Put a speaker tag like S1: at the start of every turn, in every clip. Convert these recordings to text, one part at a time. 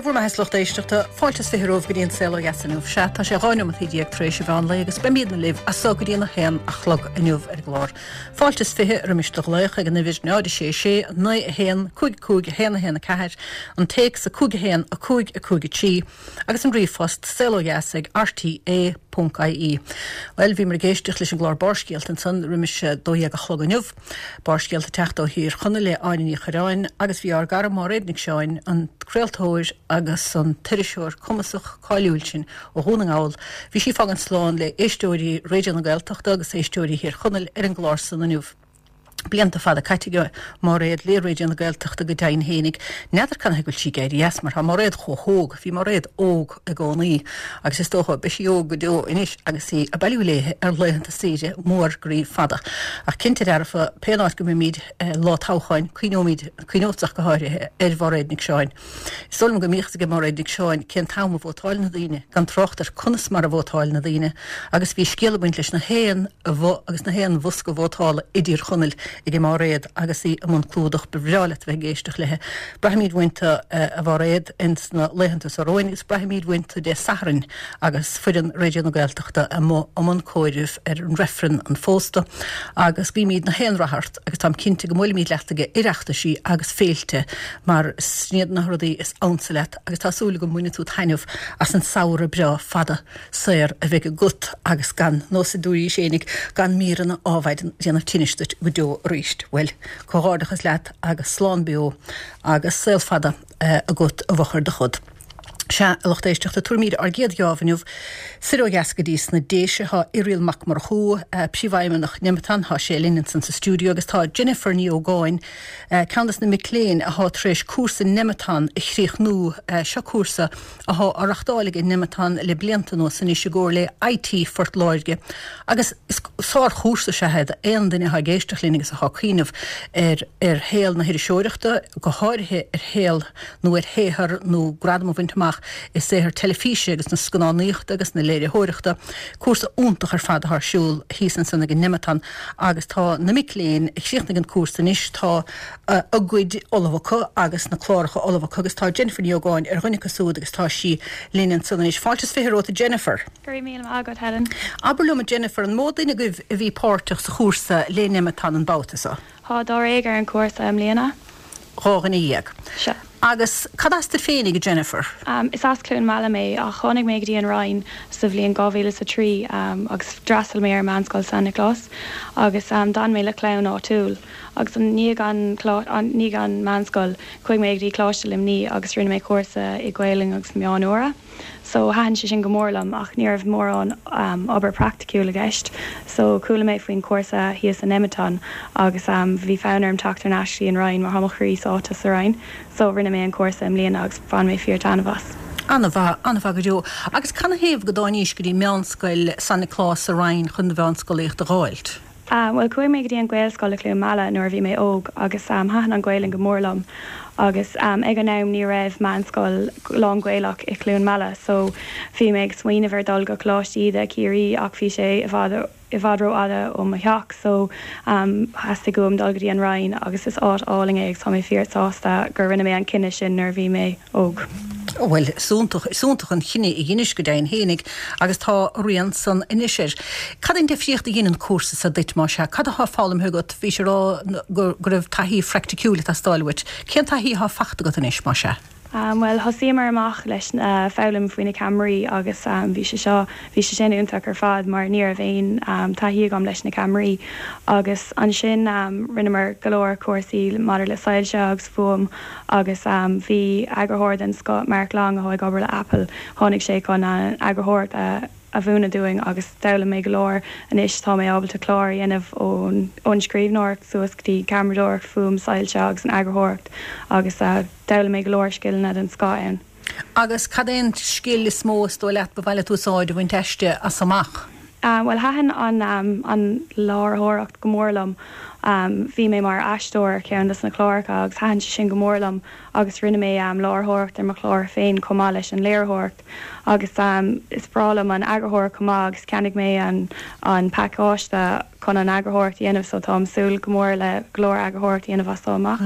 S1: Dé bhur mbeatha a lucht éisteachta, fáilte is 20 romhaibh go dtí an Saol Ó Dheas inniu. Sea, tá sé 12 neomataí tar éis an mheán lae agus beimídne libh as so go dtí an 1 a chlog inniu ar an gclár. Fáilte is 20 roimis do ghlaoch ag an uimhir 0 6 6 9 1 5 5 1 1 4, an téacs 5 1 5 5 3 agus an ríomhphost saolodheas ag rte ponc ie. Bhuel, bhíomar ag éisteacht leis an gclár Barrscéalta ansan roimis 12 a chlog inniu. Barrscéalta ag teacht ó Thír Chonaill le Áine Ní Chuireáin agus bhí ár gcara Máiréad Nic Seáin, an craoltóir agus an t-iriseoir cumasach cáiliúil sin ó Dhún na nGall, bhí sí ag fágaint slán le éisteoirí Raidió na Gaeltachta agus éisteoirí Thír Chonaill ar an gclár san inniu. Blianta fada caite ag Máiréad le Raidió na Gaeltachta go deimhin fhéinig. N'fheadar canathaobh go bhfuil sí ag éirí as mar tá Máiréad chomh hóg, bhí Máiréad óg i gcónaí agus is dócha beidh sí óg go deo anois agus í ag bailiú léithe ar laethanta saoire mór groí fada. Ach cinnte dearfa, pé áit go mbeimid lá toghcháin, cuimhneoimid, cuimhneodsa ach go háirithe, ar Mháiréad Nic Seáin. Is dóigh liom go mbíodh a fhios ag Máiréad Nic Seáin cén t-am a vótáil na daoine, gan trácht ar conas mar a vótáil na daoine, agus bhí scéal ag baint leis na haon bhoth agus na haon bhosca vótála i dTír Chonaill ag Máiréad agus í i mbun clúdach. Ba bhreá leat a bheith ag éisteacht léithe. Braithfimid uainn tú, a Mháiréad, ins na laethanta seo romhainn agus braithfimid uainn tú Dé Sathairn agus foireann Raidió na Gaeltachta amuigh i mbun comhairimh ar an reifreann an phósta agus guímid na haon rath ort agus táim cinnte go mbuailfimid leat ag Oireachtaisí agus féilte mar sin iad na rudaí is ansa leat agus tá súil agam mbainfidh tú taitneamh as an samhradh breá fada saor a bheidh agat agus gan, nós a dúraís fhéinig, gan míreanna adhmaid déanamh tinnis duit go deo arís. Bhuel, comhghairdeachas leat agus slán beo agus saol fada agat i bhfochair do chod. Sea, a lucht éisteachta, tabharfaimid ár gcéad gheábh inniu soir ó dheas go dtí sna Déise. Tá Irial Mac Murchú, Príomhfheidhmeannach Nemeton, tá sé linn ansan sa stiúideo agus tá Jennifer Ní Ógáin, ceann des na mic léinn athá tar éis cúrsa Nemeton a chríochnú. Seo cúrsa athá á reachtáil ag Nemeton le blianta anuas anois i gcomhar le IT Phort Láirge agus is sár-chúrsa is ea é d'aon duine athá ag éisteacht linn agus athá ag cuimhneamh ar ar shaol na hiriseoireachta, go háirithe ar shaol nó ar shaothar nó gradam a bhaint amach i saothar teilifíse agus na scannánaíochta agus na léiritheoireachta. Cúrsa iontach ar fad atá ar siúl thíos ansan ag an Nemeton agus tá na mic léinn a chríochnaigh an cúrsa anois, tá a gcuid ullamh acu agus na cláracha ullamh acu agus tá Jennifer Ní Ógáin ar dhuine acu siúd agus tá sí linn ansan anois. Fáilte is 20 romhat a Jennifer.
S2: Go raibh míle maith agat, Helen.
S1: Abair liom a Jennifer, an mó duine agaibh a bhí páirteach sa chúrsa le Nemeton an babhta seo?
S2: Tá dáréag ar an chúrsa i mbliana.
S1: 12.
S2: Sea.
S1: Agus cad as duit féinig, a Jennifer?
S2: Is as Cluain Meala mé ach tháinig mé go dtí an Rinn sa bhliain 2003 agus d'fhreastail mé ar Meánscoil San Nioclás agus d'fhan mé le clann áitiúil agus i ndiaidh an ndiaidh an meánscoil chuaigh mé go dtí Coláiste Luimní agus rinne mé cúrsa i Gaolainn agus na Meáin Úra. So thaitin sé sin go mór liom ach ní raibh mórán obair praiticiúil i gceist. So chuala mé faoin chúrsa thíos i Nemeton agus bhí fonn orm teacht thar n-ais go dtí an Rinn mar tá mo chroí sáite sa Rinn. So rinne mé an cúrsa i mbliana agus bhain mé fíor taitneamh as.
S1: An-mhaith, an-mhaith go deo. Agus canathaobh go dtáinís go dtí Meánscoil San Nioclás sa Rinn chun do mheánscolaíocht a dh'fháilt?
S2: Bhuel, chuaigh mé go dtí an Ghaelscoil i Cluain Meala nuair a bhí mé óg agus thaitin an Ghaelainn go mór liom agus ag an am ní raibh meánscoil lán-Ghaelach i Cluain Meala so bhí mé ag smaoineamh ar dul go Coláiste Íde, Ciarraí ach bhí sé i bhfad i bhfad rófhada ó mo theach so theastaigh uaim dul go dtí an Rinn agus is áit álainn é agus tá mé fíor sásta gur rinne mé an cinneadh sin nuair a bhí mé óg.
S1: Bhuel, is iontach, is iontach an chinneadh a dheinis go deimhin fhéinig agus tá a rian san anois air. Cad é an difríocht a dhein an cúrsa so duit, más ea? Cad athá foghlamtha agat? Bhís ag rá go raibh taithí phraicticiúil ag teastáil uait. Cén taithí athá fachta agat anois, más ea?
S2: Bhuel, thosaíomar amach leis na foghlaim faoi na ceamaraí agus bhí sé seo, bhí sé sin iontach ar fad mar ní raibh aon taithí agam leis na ceamaraí agus ansin rinneamar go leor cúrsaí maidir le soilse agus fuaim Agus bhí eagarthóir den scoth, Mark Long, atá ag obair le Apple, tháinig sé chun an eagarthóireacht a a mhúineadh dúinn agus d'fhoghlaim mé go leor. Anois tá mé ábalta clár a dhéanamh ón ón scríbhneoireacht suas go dtí ceamaradóireacht, fuaim, soilse agus an eagarthóireacht agus d'fhoghlaim mé go leor scileanna den scoth ann.
S1: Agus cad é an scil is mó is dóigh leat ba mhaith leat úsáid a bhaint aisti as amach?
S2: Bhuel, thaitin an an láithreoireacht go mór liom. Bhí mé mar aisteoir ar cheann des na cláracha agus thaitin sé sin go mór liom agus rinne mé láithreoireacht ar mo chlár féin chomh maith leis an léiritheoireacht. Agus is breá liom an eagarthóireacht chomh maith agus cheannaigh mé an an pacáiste chun an eagarthóireacht a dhéanamh so táim súil go mór le go leor eagarthóireacht a dhéanamh as seo amach.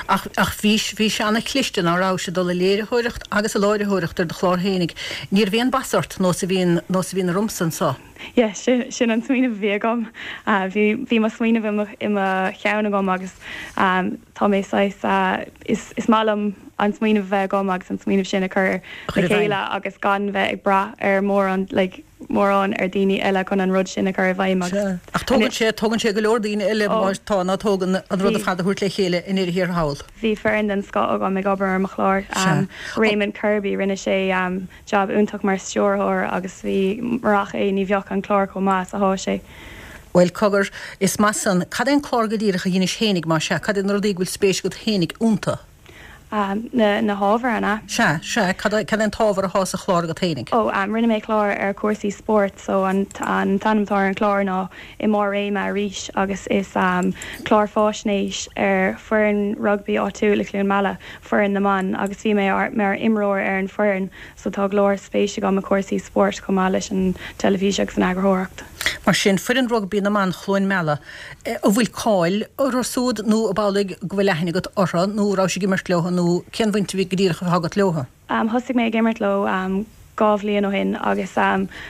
S1: Ach ach bhí bhí sé ana-chliste ná rabhais ag dul ag léiritheoireacht agus ag láithreoireacht ar do chlár fhéinig. Ní raibh aon bas ort nós a bhíonn nós a bhíonn ormsa anso.
S2: Yeah, sin sin an smaoineamh a bhí agam. Bhí bhí mo smaoineamh i mo i mo cheann agam agus tá mé saghas is is maith liom an smaoineamh a bheith agam agus an smaoineamh sin a chur le chéile agus gan bheith ag brath ar mórán like mórán ar daoine eile chun an rud sin a chur i bhfeidhm
S1: agus Ach tógann sé tógann sé go leor daoine eile má tá ná tógann an rud ar fad a thabhairt le chéile i ndeireadh thiar thall.
S2: Bhí foireann den scoth agam ag obair ar mo chlár. Raymond Kirby, rinne sé jab iontach mar stiúrthóir agus bhí murach é ní bheadh an clár chomh maith is atá sé.
S1: Bhuel, cogar, is maith san. Cad é an clár go díreach a dheinis fhéinig, más ea? Cad iad na rudaí go bhfuil spéis agat fhéinig iontu?
S2: Na, na hábhair, an ea?
S1: Sea, sea. Cad é, cad é an t-ábhar athá sa chlár agat fhéinig?
S2: Ó, rinne mé clár ar chúrsaí spóirt, so an, an t-ainm atá ar an chlár ná I mBarr Réime Arís agus is clár fáisnéis ar foireann rugbaí áitiúil i Cluain Meala, foireann na mban, agus bhí mé mar imreoir ar an foireann so tá go leor spéis agam i cúrsaí spóirt chomh maith leis an teilifís agus an eagarthóireacht.
S1: Mar sin, foireann rugbaí na mban Chluain Meala, an bhfuil cáil orthu súd nó ab amhlaidh go bhfuil aithne agat orthu nó rabhais ag imirt leo nó cén bhaint a bhí go díreach atá agat leo?
S2: Thosaigh mé ag imirt leo 2 bhliain ó shin agus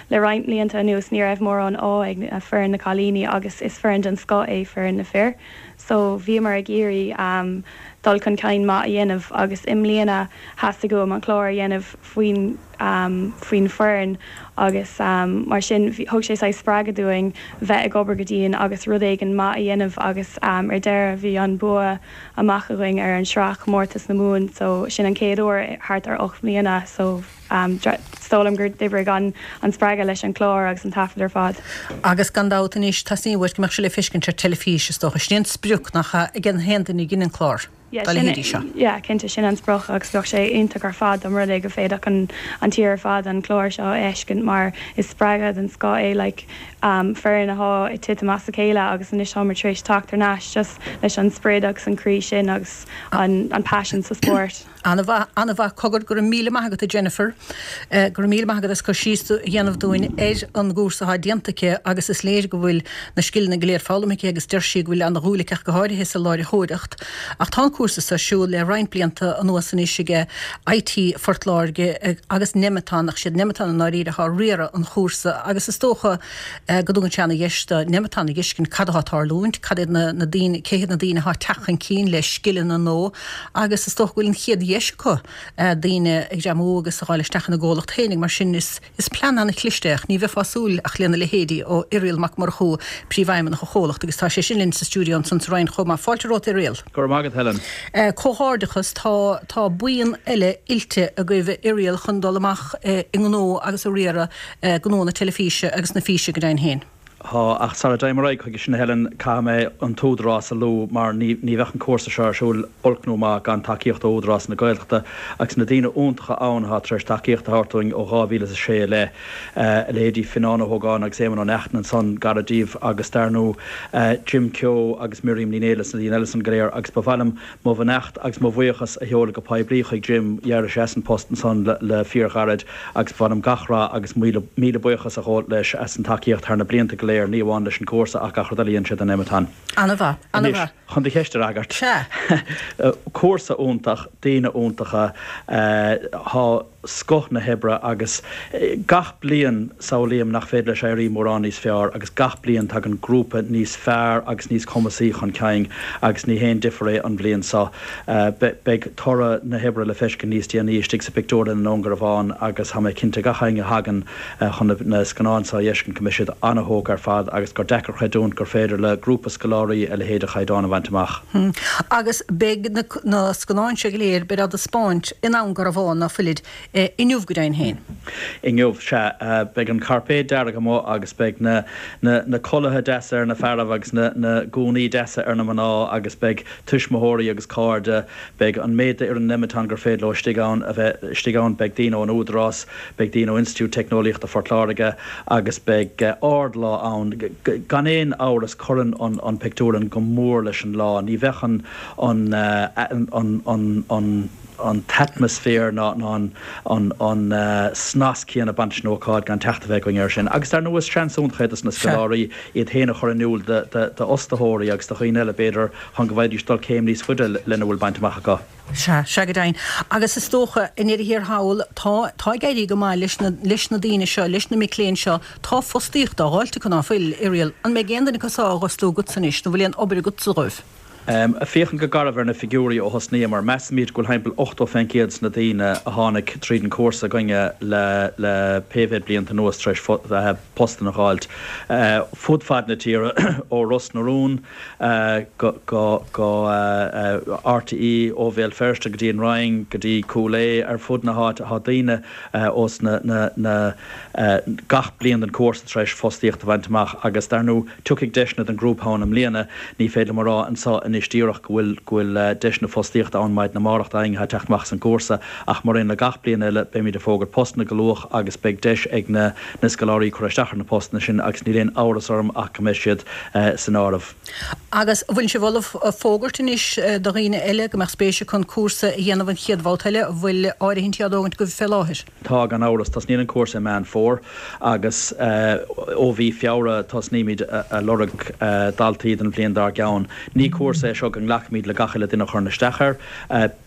S2: le roinnt mblianta anuas ní raibh mórán ádh ag foireann na cailíní agus is foireann den scoth é foireann na fir so bhíomar ag iarraidh dul chun cinn maith a dhéanamh agus i mbliana theastaigh uaim an clár a dhéanamh faoin faoin foireann agus mar sin thug sé saghas spreagadh dúinn bheith ag obair go dian agus rud éigin maith a dhéanamh agus ar deireadh bhí an bua amach againn ar an sraith chomórtas na Mumhan so sin an chéad uair thart ar 8 mbliana so is dóigh liom gur d'oibrigh an an spreagadh leis an clár agus an taifead ar fad.
S1: Agus gan dabht anois teastaíonn uait go mbeadh sé le feiscint ar teilifís is dócha. Sin é an sprioc nach ea ag an haon duine a dhein an clár dá leithéidí seo.
S2: Yeah cinnte sin an sprioc agus bheadh sé iontach ar fad dá mba rud é go bhféadfadh an an tír ar fad an clár seo a fheiscint mar is spreagadh den scoth é like foireann athá ag titim as a chéile agus anois táimid tar éis teacht thar n-ais just leis an sprid agus an croí sin agus an an paisean sa spórt.
S1: An-mhaith, an-mhaith. Cogar, go raibh míle maith agat a Jennifer. Go raibh míle maith agat as cur síos a dhéanamh dúinn ar an gcúrsa atá déanta aici agus is léir go bhfuil na scileanna go léir foghlamtha aici agus deir sí go bhfuil ana-dhúil aici ach go háirithe sa láithreoireacht. Ach tá an cúrsa seo ar siúl le roinnt blianta anuas anois ag IT Phort Láirge agus Nemeton, ach siad Nemeton i ndáiríre atá ag riaradh an chúrsa agus is dócha go dtugann sé ana-dheis do Nemeton a dh'fheiscint cad atá ag tarlúint, cad iad na daoine, cé hiad na daoine atá ag teacht chun cinn le scileanna nua agus is dócha go bhfuil an chéad dheis acu daoine a ghreamú agus a dh'fháil isteach ina gcomhlacht féinig mar sin is Is plean an-chliste é ach ní bheifeá ag súil ach lena leithéidí ó Irial Mac Murchú, Príomhfheidhmeannach an chomhlachta agus tá sé sin linn sa stiúideo ansan sa Rinn chomh maith. Fáilte romhat Irial.
S3: Go raibh maith agat Helen.
S1: Comhghairdeachas, tá tá buíon eile oilte agaibh a Irial chun dul amach i ngnó agus a riaradh gnó na teilifíse agus na físe go deimhin féin.
S3: Tá, ach sara dtéim ar aghaidh chuige sin, a Helen, caithfidh mé an tÚdarás a lua mar ní ní bheadh an cúrsa seo ar siúl, olc nó maith, gan tacaíocht ó Údarás na Gaeltachta agus na daoine iontacha ann atá tar éis tacaíocht a thabhairt dúinn ó 2006 i leith, a leithéidí Fionán Ó hÓgáin agus Éamonn Ó Neachtain ansan, gar díobh, agus dar ndóigh Jim Keogh agus Miriam Ní Néill is na daoine eile san go léir agus ba mhaith liom Mo bheannacht agus mo bhuíochas a sheoladh go poiblí chuig Jim, d'éirigh sé as an post ansan le fíorghairid agus ba mhaith liom gach rath agus míle buíochas a ghabháil leis as an tacaíocht thar na blianta go léir, ní amháin leis an gcúrsa ach gach rud eile a dhein sé do Nemeton.
S1: An-mhaith,
S3: Anois, an-mhaith. chun do cheist a fhreagairt.
S1: Sea.
S3: Cúrsa iontach, daoine iontacha, tá. scoth na hoibre agus gach bliain samhlaím nach féidir leis éirí mórán níos fearr agus gach bliain tagann grúpa níos fearr agus níos cumasaí chun cinn agus ní haon difear é an bhliain seo. Beidh toradh na hoibre le feiscint níos déanaí istigh sa bpictiúrlann i nDún Garbhán agus tá mé cinnte gach éinne a thagann chun na scannáin seo a fheiscint go mbeidh siad ana-thógtha ar fad agus gur deacair creidiúint gur féidir le grúpa scoláirí a leithéid de chaighdeán a bhaint amach.
S1: Agus beidh na scannáin seo go léir, beid á dtaispeáint i nDún Garbhán, ná fuilid, inniu go deimhin féin.
S3: Inniu, sea. Beidh an cairpéad dearg amuigh agus beidh na na culaithe deasa ar na fearaibh agus na na gúnaí deasa ar na mná agus beidh tuismitheoirí agus cairde, beidh an méid d'fhoireann Nemeton gur féidir leo istigh ann a bheith istigh ann, beidh daoine ón Údarás, beidh daoine ó Institiúid Teicneolaíochta Phort Láirge agus beidh ardlá ann. Gan aon amhras cuireann an pictiúrlann go mór leis an lá. Ní bheadh an an an an. an t-atmaisféar ná an snas céanna ag baint leis an ócáid gan teacht a bheith againn air sin. Agus dar ndóigh is seans iontach é dos na scoláirí iad féin a chur in iúl d'fhostaitheoirí agus do dhaoine eile b'fhéidir chun go bhfaighidís dul céim níos faide lena bhfuil bainte amach acu.
S1: Sea, sea go deimhin. Agus is dócha, i ndeireadh thiar thall, tá, tá ag éirí go maith leis na, leis na daoine seo, leis na mic léinn seo, tá fostaíocht á dh'fháilt acu, ná fuil, Irial? An mbeidh aon duine acu so á dh'fhostú agatsa anois, nó bhfuil aon obair agatsa dhóibh?
S3: Ag féachaint go garbh ar na figiúirí ó thosnaíomar, measaimid go bhfuil thimpeall 80 fén gcéad de na daoine a tháinig tríd an cúrsa againne le le pé mhéad blianta anuas tar éis postanna a dh'fháilt fud fad na tíre, ó Ros na Rún go go RTÉ, ó Bhéal Feirste go dtí an Rinn go dtí Cúil Aodha, ar fud na háite tá daoine ós na na gach bliain den chúrsa tar éis fostaíocht a bhaint amach agus dar ndóigh Tiocfaidh deiseanna don ghrúpa ann i mbliana. Ní féidir liom a rá anseo anois díreach go bhfuil go bhfuil deiseanna fostaíochta ann maidin amárach d'éinne atá ag teacht amach as an gcúrsa ach mar aon le gach bliain eile beimid ag fógairt postanna go luath agus beidh deis ag na na scoláirí cur isteach ar na postanna sin agus níl aon amhras orm ach go mbeidh siad san áireamh.
S1: Agus an bhfuil sibh ullamh fógairt anois do dhaoine eile go mbeadh spéis acu an cúrsa a dhéanamh an chéad bhabhta eile? An bhfuil áirithintí á dtógaint agaibh fé láthair?
S3: Tá, gan amhras. Tosnaíonn an cúrsa i Meán Fómhair agus ó mhí Feabhra tosnaímid a lorg daltaí don bhliain dár gceann. Ní cúrsa é seo go nglacfaimid le gach uile duine a chuireann isteach air.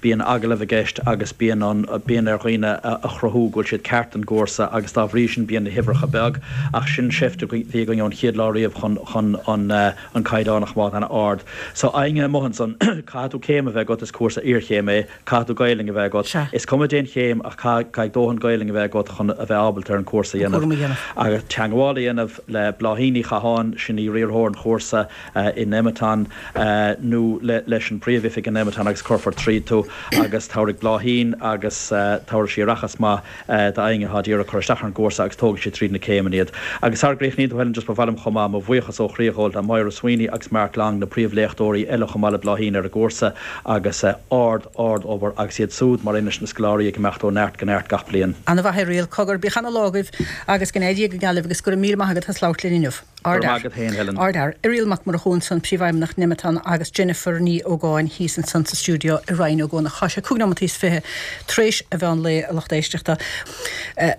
S3: Bíonn agallamh i gceist agus bíonn an, bíonn ar dhaoine a chruthú go bhfuil siad ceart don gcúrsa agus dá bhrí sin bíonn na huimhreacha beag. Ach sin seift a bhí againn ón chéad lá riamh chun, chun an, an caighdeán a choimeád an-ard. So éinne amuigh ansan, caithfidh tú céim a bheith agat, is cúrsa iarchéime é. Caithfidh tú Gaelainn a bheith agat.
S1: Sea.
S3: Is cuma dén chéim ach caithfidh dóthain Gaelainn a bheith agat chun a bheith ábalta ar an cúrsa a
S1: An cúram a dhéanamh.
S3: Agus teangmháil a dhéanamh le Bláithín Ní Chatháin, sin í riarthóir an chúrsa i Nemeton, nó leis an bpríomh-oifig i Nemeton agus cuirfear tríd tú agus tabharfaidh Bláithín agus tabharfaidh sí aireachas maith d'éinne atá d'iarraidh cur isteach ar an gcúrsa agus tógfaidh sí tríd na céimeanna iad. Agus sara gcríochnaíonn tú Helen, just ba mhaith liom chomh maith mo bhuíochas ó chroí a ghabháil le Máire Sweeney agus Mark Long, na príomhléachtóirí eile chomh maith le Bláithín ar an gcúrsa agus ard, ard obair agus iad súd mar aon leis na scoláirí ag imeacht ó neart go neart gach bliain.
S1: Ana-mhaith Irial, cogar, bíodh ana lá agaibh agus go n-éirí Dia go geal libh agus go raibh míle maith agat as labhairt linn inniu.
S3: Go raibh maith agat féin, Helen.
S1: Ardfhear. Irial Mac Murchú ansan, Príomhfheidhmeannach Nemeton agus Jennifer Ní Ógáin thíos ansan sa stiúideo i Rinn Ó gCuanach. Tá sé 25 nóimeataí tar éis an mheán lae, a lucht éisteachta.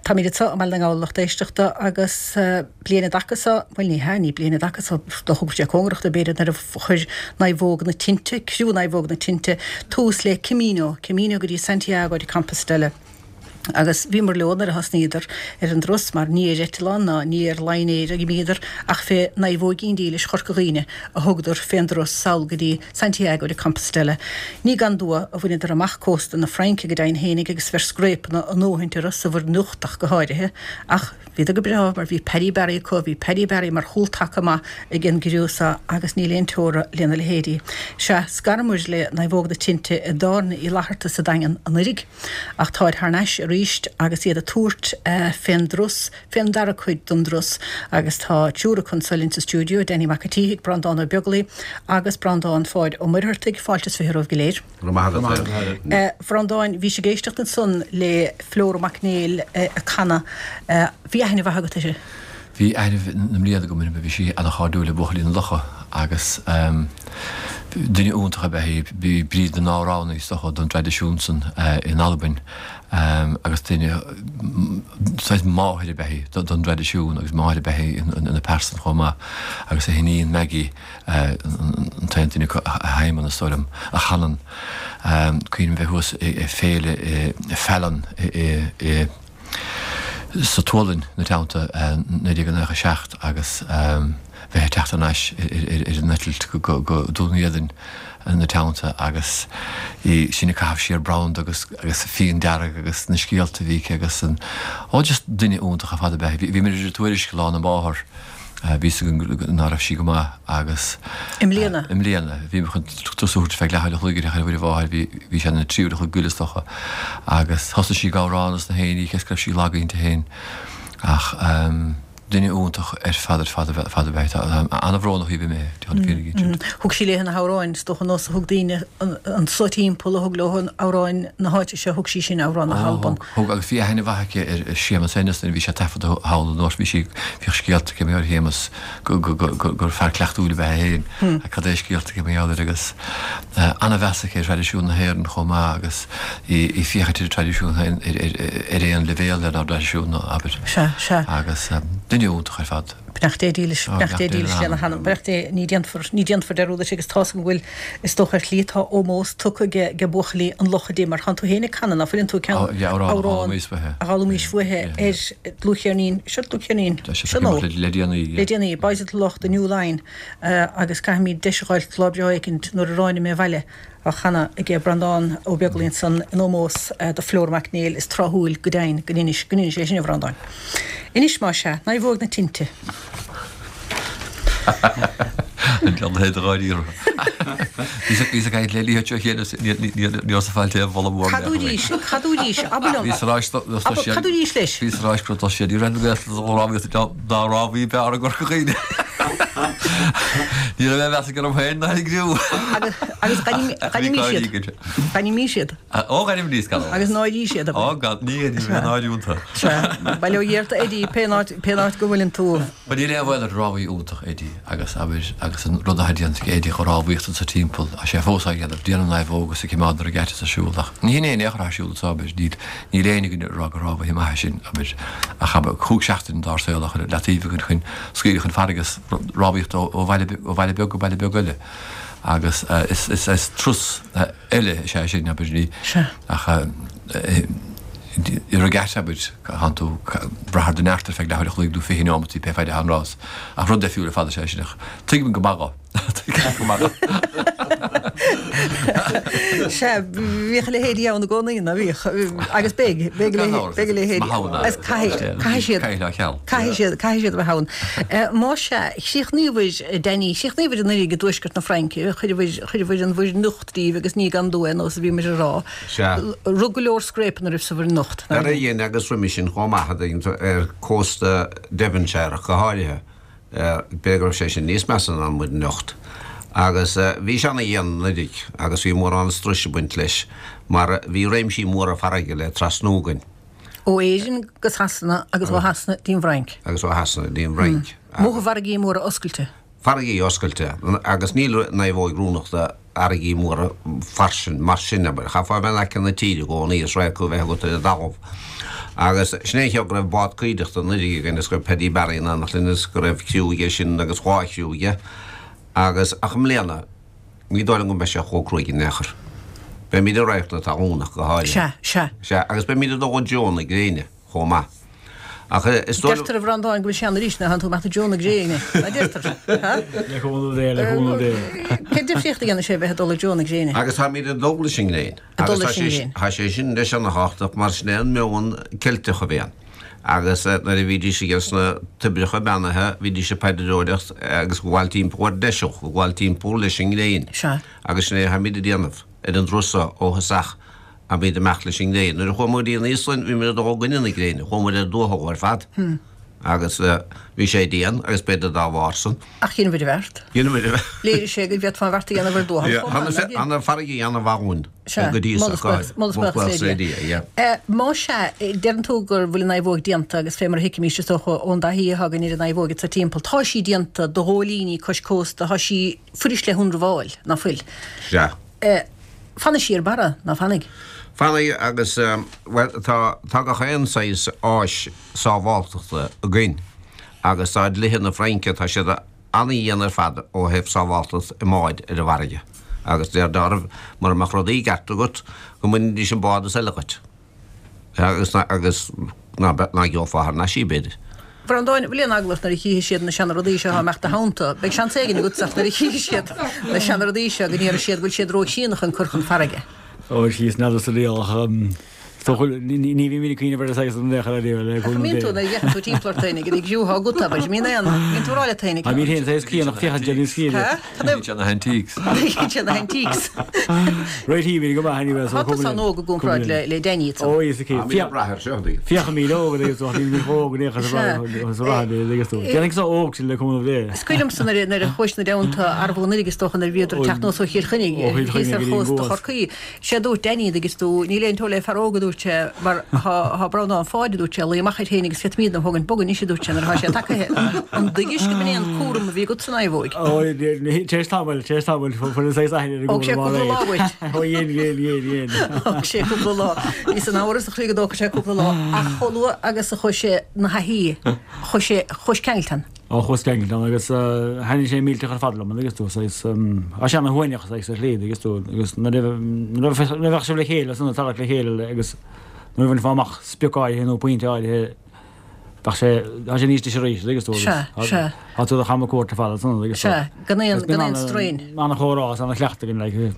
S1: Táimid anseo i mBaile na nGall, a lucht éisteachta, agus bliain an dtaca so, bhuel ní hea, ní bliain an dtaca so, dá thógfadh sé cóngarach dó b'fhéidir, nuair a chuir Naomhóga na Tinte, criú Naomhóg na Tinte, tús le Camino, Camino go dtí Santiago de Compostela. Agus bhíomar leo nuair a thosnaíodar ar an dturas, mar ní ar eitleán ná ní ar line-air a dh'imíodar, ach fé naomhóigín dílis Chorca Dhuibhne a thugadar fén dturas sall go dtí Santiago de Compostela. Ní gan dua a bhaineadar amach cósta na Fraince go deimhin fhéinig agus bheir scréipeanna a ndóthaint orthu sa Mhuir Nocht ach go háirithe, ach bhíodar go breá mar bhí Paddy Barry acu, bhí Paddy Barry mar chúl-taca maith ag an gcriú so agus níl aon teora lena leithéidí. Sea, scaramair le Naomhóga na Tinte i dTábhairne Uí Fhlatharta sa Daingean anuiridh. Ach táid thar n-ais arís agus iad ag tabhairt fén dturas, fén dara cuid don dturas agus tá triúr acu anso linn sa stiúideo, Danny Mac a' tSíthigh, Breandán Ó Beaglaoi agus Breandán Pháid Ó Muircheartaigh. Fáilte is 20 romhaibh go léir.
S4: Go raibh maith agat, a Helen.
S1: A Bhreandáin, bhís ag éisteacht ansan le Flora Mac Néill ag canadh. Bhí aithne mhaith agat uirthi?
S4: Bhí aithne na mblianta agam uirthi, bhí sí ana-chairdiúil le Buachaillí na Locha agus duine iontach ab ea í. B'í Bríd na nAmhránaí is dócha don dtraidisiún san in Albain agus duine saghas máthair ab ea í don dtraidisiún agus máthair ab ea í ina pearsan chomh maith agus a hiníon Maggie an t-aon duine acu a sheinneann is dóigh liom, a chanann. Cuimhním bheith thuas ag féile i Falun i. sa tSualainn ina teannta 1997 agus bheith ag teacht thar n-ais ar an eitilt go Dún Éideann ina teannta agus í sin ag caitheamh siar branda agus agus fíon dearg agus na scéalta a bhí aici agus an, oh just duine iontach ar fad ab ea í. Bhí muid ar an Tuairisc lá na máthar. Bhí fhios againn ná raibh sí go maith agus.
S1: I mbliana?
S4: I mbliana. Bhí mé chun turas a thabhairt feadh leathuair a chloig ar uair a mháthair, bhí, bhí sé ina thrí uair a chloig go leith is dócha agus thosaigh sí ag amhrán as na haon oíche is go raibh sí lag inti féin ach ehm. Duine iontach ar fad ar fad ar fad ab ea í. Tá an-bhrónach í bhí mé, déan an fírinne a insint.
S1: Thug sí léi na hamhráin, is dócha, nós a thug daoine anso timpeall, a thug leo amhráin na háite seo, thug sí sin amhráin na hAlban.
S4: Thug, agus bhí aithne mhaith aici ar Séamus Ennis nuair a bhí sé ag taifeadadh thall an uair bhí sí, bhíodh scéalta aici mar gheall ar Shéamus go, go, go, go, gur fear cleachtúil ab ea é féin ach cad é scéalta aici mar gheall air agus an-mheas aici ar thraidisiún na hÉireann chomh maith agus í ag féachaint ar an traidisiún féin ar aon leibhéal lenár dtraidisiún, abair.
S1: Sea, sea.
S4: Agus duine iontach ar fad.
S1: Beannacht Dé dílis, beannacht Dé dílis lena hanam, beannacht Dé, ní déanfar, ní déanfar dearúd uirthi agus tá's agam go bhfuil, is dócha ar shlí tá ómós tugtha age, age buachaillí an Locha di mar tánn tú féin ag canadh, ná fuileann tú ag canadh
S4: amhrán
S1: a d'fhoghlaimís uaithi ar dlúthcheirnín, seo dlúthcheirnín, seo nó,
S4: le déanaí,
S1: le déanaí, Boys of the Lough, The New Line agus caithfimid deis a dh'fháilt lá breá éicint nuair a ráinig mé abhaile á chanadh age Breandán Ó Beaglaoi ansan in ómós do Flora Mac Néill is tráthúil go deimhin go n-inis go n-inis é sin a Bhreandáin. Anois más ea, naomhóg na tinte.
S4: An ceann é do dháiríre. Bhíos ag caint le Liam seo cheana ní raibh sa fáilte aon mholadh mór
S1: Cad dúidís, cad dúidís, abair liom,
S4: Bhíos
S1: abair, cad dúidís leis?
S4: Bhíos ag rá gur tá siad, ní raibh na Gaeltachta dá rámhaí b'fhearr i gCorca Dhuibhne. Ní raibh aon mheas aige orm féin ná ar an gcriú.
S1: Agus, agus d'ainmnigh siad. D'ainmnigh siad.
S4: Ó, d'ainmnigh gan
S1: amhras. Agus náirí siad.
S4: Ó, gan, ní, ní bheidh náire iontu.
S1: Sea, bail ó Dhia ort a Eddie, pén áit, pén áit go bhfuileann tú.
S4: Ba níl aon bhaol ar rámhaí iontach Eddie agus, abair, agus an rud atá déanta ag Eddie, an rámhaíocht anso timpeall, tá sé fós á dhéanamh, déanann naomhóg agus ag coimeád na regattas ar siúl ach ní hin é in aon chor atá ar siúl anso, abair, níl, Níl éinne againn ag rá gur rámhaithe maithe sinn, abair, ach abair, chúig seachtaine dár saol á chur i leataobh againn chun scaoileadh chun farraige is rámhaíocht ó bhaile beag go baile beag eile. Agus is turas eile is ea sin, abair, ní, ach i regatta, abair, tánn tú brath ar do neart ar feadh leathuair a chloig nó 20 neomataí, pé faid atá an rás. Ach rud deifriúil ar fad is ea sin, ach tuigim go maith dho.
S1: Sea, bhíodh a leithéidí ann i gcónaí, ná bhíodh? Agus beidh, beidh a leithéidí. Agus caithfidh, caithfidh siad, caithfidh siad, caithfidh siad a bheith ann. Más ea, chríochnaíobhair, Danny, chríochnaíobhair anuraidh i dtuaisceart na Fraince, chuireabhair, chuireabhair an Mhuir Nocht díbh agus ní gan dua, ar nós a bhí muid a rá.
S5: Sea.
S1: Rug go leor scréipeanna oraibh sa Mhuir Nocht,
S5: nár Ar a dhein agus roimis sin chomh maith, ar cósta Devonshire ach go háirithe. B'fhéidir go raibh sé sin níos measa ná an Mhuir Nocht. Agus bhí sé ana dhian anuiridh agus bhí mórán struis ag baint leis mar bhí réimsí móra farraige le trasnú againn.
S1: Ó Éirinn go Sasana agus ó Shasana dtí an bhFrainc.
S5: Agus ó Shasana dtí an bhFrainc.
S1: Amuigh i bhfarraigí móra oscailte.
S5: Farraigí oscailte. Agus níl naomhóig oiriúnach do fharraigí móra fairsing mar sin, abair. Chaithfeá a bheith in aice na tíre i gcónaí is radharc a bheith agat ar an dtalamh. Agus sin é an chaoi go raibh bád cuideachta anuiridh againn is go raibh Paddy Barry in éineacht linn is go raibh criú aige sin agus dhá chriú aige. Agus, ach i mbliana, ní dóigh liom go mbeidh sé chomh cruaidh in aon chor. Beimid i radharc na talún ach go háirithe.
S1: Sea, sea.
S5: Sea, agus beimid ag dul i dtreo na gréine. chomh maith. Ach is
S1: dóigh liom. Deirtear a Bhreandáin go bhfuil sé ann arís nuair a thánn tú amach i dtreo na gréine. Ná deirtear? Ha?
S3: Le cúnamh Dé, le cúnamh Dé.
S1: Cén difríocht a dhéanfaidh sé bheith ag dul i dtreo na gréine?
S5: Agus táimid ag dul leis an ngréin.
S1: Ag dul leis an ngréin.
S5: Tá sé sin leis ana-thábhachtach mar sin é an meon Ceilteach a bhí ann. Agus nuair a bhídís aige sna toibreacha beannaithe, bhídís ag paidreoireacht agus ag gabháil timpeall ar deiseal, ag gabháil timpeall leis an ngréin.
S1: Sea.
S5: Agus sin é atáimid ag déanamh ar an dturas seo ó thosach. Táimid ag imeacht leis an ngréin. Nuair a chuaigh muid go dtí an Íoslainn, bhí muid ag dul i gcoinne na gréine. Chuaigh muid ar dtuathal ar fad. Agus bhí sé dian, agus b'fhéidir dá bharr san.
S1: Ach dheineabhair an bheart.
S5: Dheineabhair an bheart.
S1: Léirigh sé go bhféadfá an bheart a dhéanamh ar dtuathal chomh maith,
S5: nár dhein? Tá na farraigí ana-mhaith dhúinn go dtí
S1: so. Moladh is buíochas le Dia. Más ea, deireann tú go bhfuil an naomhóg déanta agus fé mar a thuigimís, is dócha, ón dtaithí atá againn ar an naomhóg anso timpeall, tá sí déanta do ghóilíní cois cósta, tá sí fuirist le hionramháil, ná fuil?
S5: Sea.
S1: Fanfaidh sí ar barra, ná fanfaidh?
S5: Fanfaidh agus, bhuel, tá, tá gach aon saghas áis sábháltachta againn agus tá dlíthe na Fraince, tá siad ana-dhian ar fad ó thaobh sábháltacht i mbáid ar an bhfarraige agus deir oraibh mura mbeadh rudaí i gceart agat go mbainfidís an bád is eile dhuit. Agus, agus ná, ná gheofá thar n-ais í, b'fhéidir.
S1: Bhreandáin, bhfuil aon eagla ort nuair a chífidh siad na seana-rudaí seo á imeacht do theannta? Beidh seans éigin agatsa ach nuair a chífidh siad na seana-rudaí seo go ndéarfaidh siad go bhfuil siad ró-chríonna chun cur chun farraige.
S3: Ó, síos n'fheadar sa riail ach.
S6: Is dócha, ní bhímid ag cuimhneamh ar an saghas san in aon chor ariamh, le
S1: Ach
S6: cúnamh
S1: mbíonn
S6: Dé.
S1: tú, nuair a fhéachann tú timpeall ort féinig, ag siúl agat, abair, mbíonn aon, mbíonn tú ag rá leat féinig.
S6: Tá mín féin saghas críonnach féachaint ar níos
S1: Há? Cad é?
S4: Bíonn sé na hantiques.
S1: Bíonn sé na antiques.
S6: Right here, go maith anyway, so
S1: Tá tusa an-óg i gcomparáid le, le Danny,
S6: Ó, is aici.
S5: Tá mé ag brath air seo, tuigim.
S6: Féachaimid óg agus tá mé óg in aon chor sa rath agus tú. Déanfaidh seo óg sin le cúnamh Dé.
S1: Is cuimhin liomsa nuair a, nuair a chuais na dteannta arbhú an Oiligh is dócha nuair a bhíodar ag teacht anuas ó Chill Chainnigh,
S6: Ó Chill
S1: thíos
S6: Chainnigh
S1: ar
S6: go dtí an
S1: chósta
S6: gCuas.
S1: Chorcaí. Sé dúirt Danny, dtuigeann tú, níl aon trua le fear óg a dúirt sé, mar thá Breandán Pháid, a dúirt sé, ag luí amach air féin agus féadfaimídne a thógaint bog anois, a dúirt sé, nuair athá sé tagaithe. An dtuigis go mb'in é an cúram a bhí agatsa, a Naomhóig?
S6: Ó, tar éis tamaill, tar éis tamaill, fuair an saghas aithne ar an
S1: Thóg sé
S6: gcúram
S1: cúpla lá uait.
S6: Ó, dhein, dhein, dhein, dhein.
S1: Thóg sé cúpla lá. Bhíos in amhras a chroí go dtógfadh sé cúpla lá, ach chomh luath agus a chuaigh sé 'na thaithí, chuaigh sé, chuais ceangailte ann.
S6: Ó chuas ceangailte ann agus thaitnigh sé millteach ar fad liom agus tú saghas tá sé ana shuaimhneach saghas ar shlí agus tú agus nuair a nuair a bheadh sibh le chéile san ag tarrac le chéile agus nuair a bhainfeá amach sprioc áirithe nó pointe áirithe bheadh sé tá sé níos deise arís agus tú agus
S1: Sea, sea.
S6: tá tú do cham cuairt ar fad ansan agus tú
S1: Sea, gan aon gan aon strain.
S6: Ana chomhrá is ana chleachtadh againn like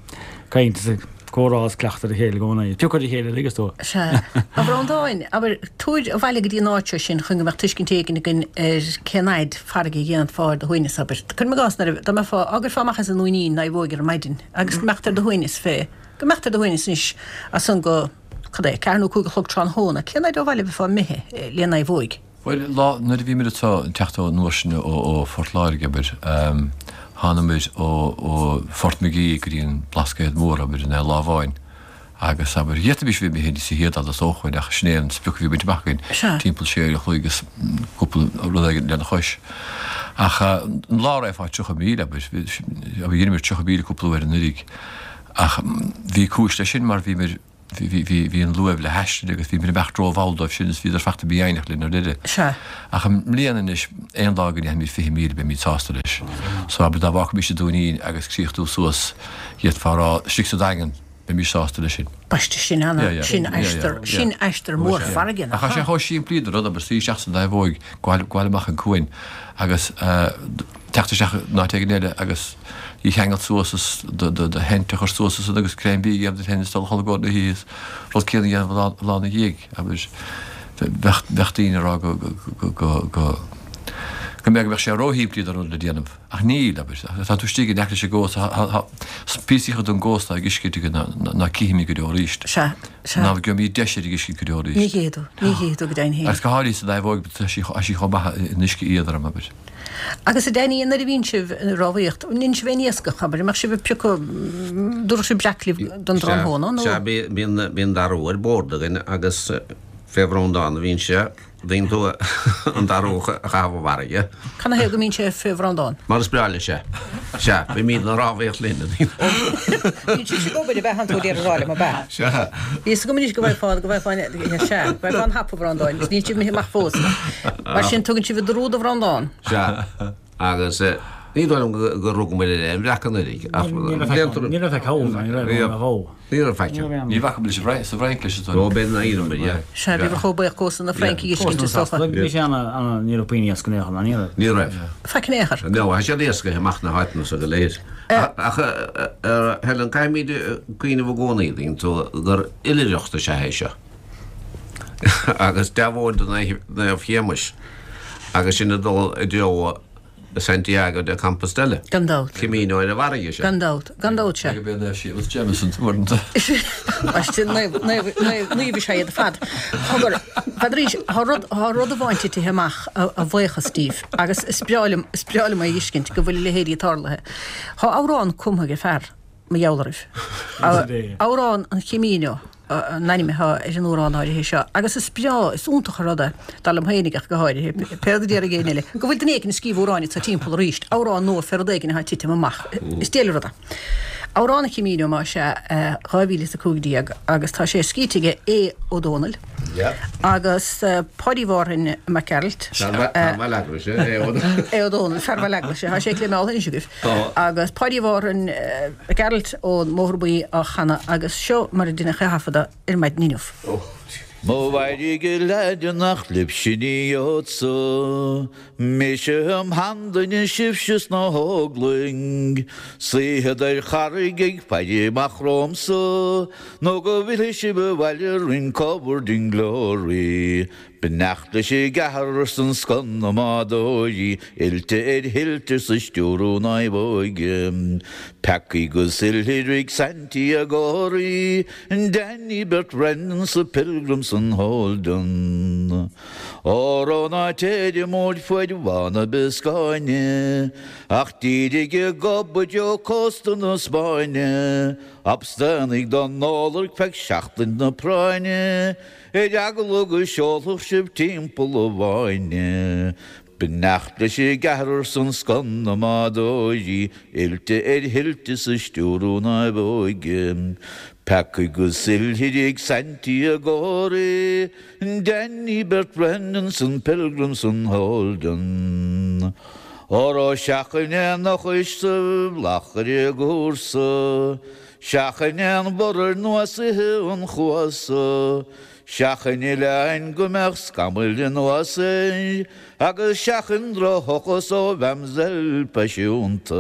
S6: caint is comhrá is cleachtadh ar a chéile i gcónaí. Piocadh ar a chéile agus tú.
S1: Sea. A Bhreandáin, abair, tabhair abhaile go dtí an áit seo sinn chun go mbeadh tuiscint éigin againn ar cén fhaid farraige a dhéanfá ar do shuaimhneas, abair. Cuirim i gcás nuair a, dá mbeifeá, á gcuirfeá amach as an nDúinín, Naomhóig ar maidin agus go mbeadh tú ar do shuaimhneas fé, go mbeadh tú ar do shuaimhneas anois as san go, cad é, ceathair nó 5 a chlog tráthnóna, cén fhaid ó bhaile a bheifeá imithe le Naomhóig?
S4: Bhuel, lá, nuair a bhíomar anseo, ag teacht ón uair sin ó Phort Láirge, abair, thánamair ó, ó Phort Magee go dtí an Blascaod Mór, abair, in aon lá amháin. Agus, abair, d'fhéadfaimis a bheith imithe níos chéad fhada is dócha, ach sin é an sprioc a bhí bainte amach againn, timpeall sé uair a chloig agus cúpla rud éigin lena chois. Ach an lá a raghfá 30 míle, abair, abair, dheineamair 30 míle cúpla uair anuraidh, ach bhí cúis leis sin mar bhíomar, Bhí an luaimh le haistir agus bhíomar ag imeacht rómhall dóibh sin is bhíodar fachta mífhoighneach linn ar deireadh.
S1: Sea.
S4: Ach i mbliana anois, aon lá go ndéanfaimid 20 míle beimid sásta leis. So abair dá bhfágfaimis an Dúinín agus críochnú suas, d'fhéadfá a rá, istigh sa Daingean, beimis sásta leis sin.
S1: Baiste, sin ana, sin aistear, sin aistear mór farraige,
S4: nach ea? Ach tá sé chomh simplí don rud, abair, suí isteach sa naomhóig, gabháil amach an cuan agus teacht isteach in áit éigin eile agus í a cheangal suas is do theint a chur suas ansan agus greim bídh a dhéanamh duit féin is dul a chodladh i gcomhair na hoíche is rud céanna a dhéanamh an lá ina dhiaidh abair bheadh bheadh daoine ag rá go go go go go mbeadh go mbeadh sé róshimplí don rud le déanamh ach níl abair tá tú istigh in aice leis an gcósta tá tá píosaí den gcósta ag uisce ná ná cífimid go deo arís.
S1: Sea, sea.
S4: Ná gheobhaimid deis ar an uisce go deo arís.
S1: Ní chífidh tú, ní chífidh tú go deimhin féin.
S4: Agus go háirithe sa naomhóig tá sí tá sí chomh maith in uisce éadrom abair.
S1: Agus a Danny, nuair a bhíonn sibh ag rámhaíocht, an ndéanann sibh aon iascach, abair, an mbeadh sibh ag piocadh, dtabharfadh sibh breac libh don tráthnóna nó?
S5: Sea, bíonn, bíonn darú ar bord againn agus fé Bhreandán a bhíonn sé, bíonn tú an darú a chaitheamh i bhfarraige.
S1: Cad 'na thaobh go mbíonn sé fé Bhreandán?
S5: Mar is breá leis é. Sea, bímid ag rámhaíocht linn.
S1: Bíonn sibhse ag obair ab ea, tánn tú ag iarraidh a rá liom, ab ea?
S5: Sea.
S1: Bhí fhios agam anois go bhfaighfeá, go bhfaighfeá, sea, go bhfaighfeá an hap a Bhreandáin, is níl sibh imithe amach fós. Mar sin, tugann sibh an drú do Bhreandán.
S5: Sea, agus ní dóigh liom gur rugamar ar aon bhreac anuraidh, ach
S6: déantar. Ní raibh faic ann, ní raibh ann a dhó.
S5: Ní raibh faic ann.
S4: Ní bhfaca muid sa Fhrainc leis
S5: an. Ó, b'fhéidir nár dheineamar, yeah.
S1: Sea, bhíobhair chomh buíoch cósta na Fraince a fheiscint, is dócha.
S6: Bhí sé ana, ana, ní raibh puinn iasc in aon chor, ná ní raibh?
S5: Ní raibh.
S1: Faic in aon chor.
S5: No, tá siad iascaithe amach na háiteanna so go léir. Ach, a Helen, caithfimid cuimhneamh i gcónaí, dtuigeann tú, gur oilithreacht is ea é seo. Agus deabhóid do Naomh Shéamais agus sinn ag dul i dtreo Santiago de Compostela.
S1: Gan dabht.
S5: Camino ar an bhfarraige
S1: seo. Gan dabht. Gan dabht, sea.
S4: Ag Naomh Séamus Jameson uaireanta.
S1: Baiste, naomh, naomh, naomh, naomh is ea iad ar fad. Cogar, n'fheadaraís, tá rud, tá rud amháin titithe amach a bhuíochas díbh agus is breá liom, is breá liom é a fheiscint go bhfuil a leithéidí tarlaithe. Tá amhrán cumtha ag fear, mar gheall oraibh. Amhrán an Chamino an ainm atá ar an amhrán áirithe seo agus is breá, is iontach an rud é, dar liom féinig ach go háirithe, pé rud a déarfaidh éinne eile, go bhfuil duine éigin ag scríobh amhráin anseo timpeall arís, amhrán nua fé rud éigin atá ag titim amach. Is diail an rud é. Amhrán an Chamino más ea, 2015 agus tá sé scríte aige Aodh Ó Dónaill agus Páidí Mhárthain Mac Gearailt.
S5: Fear Bhaile Eaglais, Aodh Ó
S1: Dónaill. Aodh Ó Dónaill, fear Bhaile Eaglais, tá sé cléimeáltha anois agaibh. Agus Páidí Mhárthain Mac Gearailt ón mBóthar Buí á chanadh agus seo mar a deineadh é a thaifeadadh ar maidin inniu.
S7: Mo mhairg a leaid nach libhse ní gheobhadsa Mise im sheanduine sibhse sna hóglaigh Suífead ar charraig ag faire amach romhamsa Nó go bhfillfidh sibh abhaile rinn covered in glory Beannacht leis an gceathrar 's an scoth na mbádóirí Oilte ar thuilte 's ag stiúradh naomhóige Peacaí 'gus oilithrigh Santiagóirí Danny Bert Brennan 's Pilgrim 's an Holden. Óró ná téir amuigh faid Bhá na Bioscáine, ach dírigh i gob i dtreo cósta na Spáinne, Abstainigh don ólarc feadh seachtain na práinne, ar eagla go seolfadh sibh timpeall an bhfáinne. Beannacht leis an gceathrar 's an scoth na mbádóirí, oilte ar thuilte 's ag stiúradh naomhóige, Peacaí 'gus oilithrigh Santiagóirí, Danny Bert Brennan 's an Pilgrim 's an Holden. Óró seachain aon eochais sa bhflach ar an gcúrsa, seachain aon mhurar nó ithe an chuasa, Seachain oileáin go mbeadh scamaill anuas air agus seachain drochthochas ó mhamselle phaisiúnta.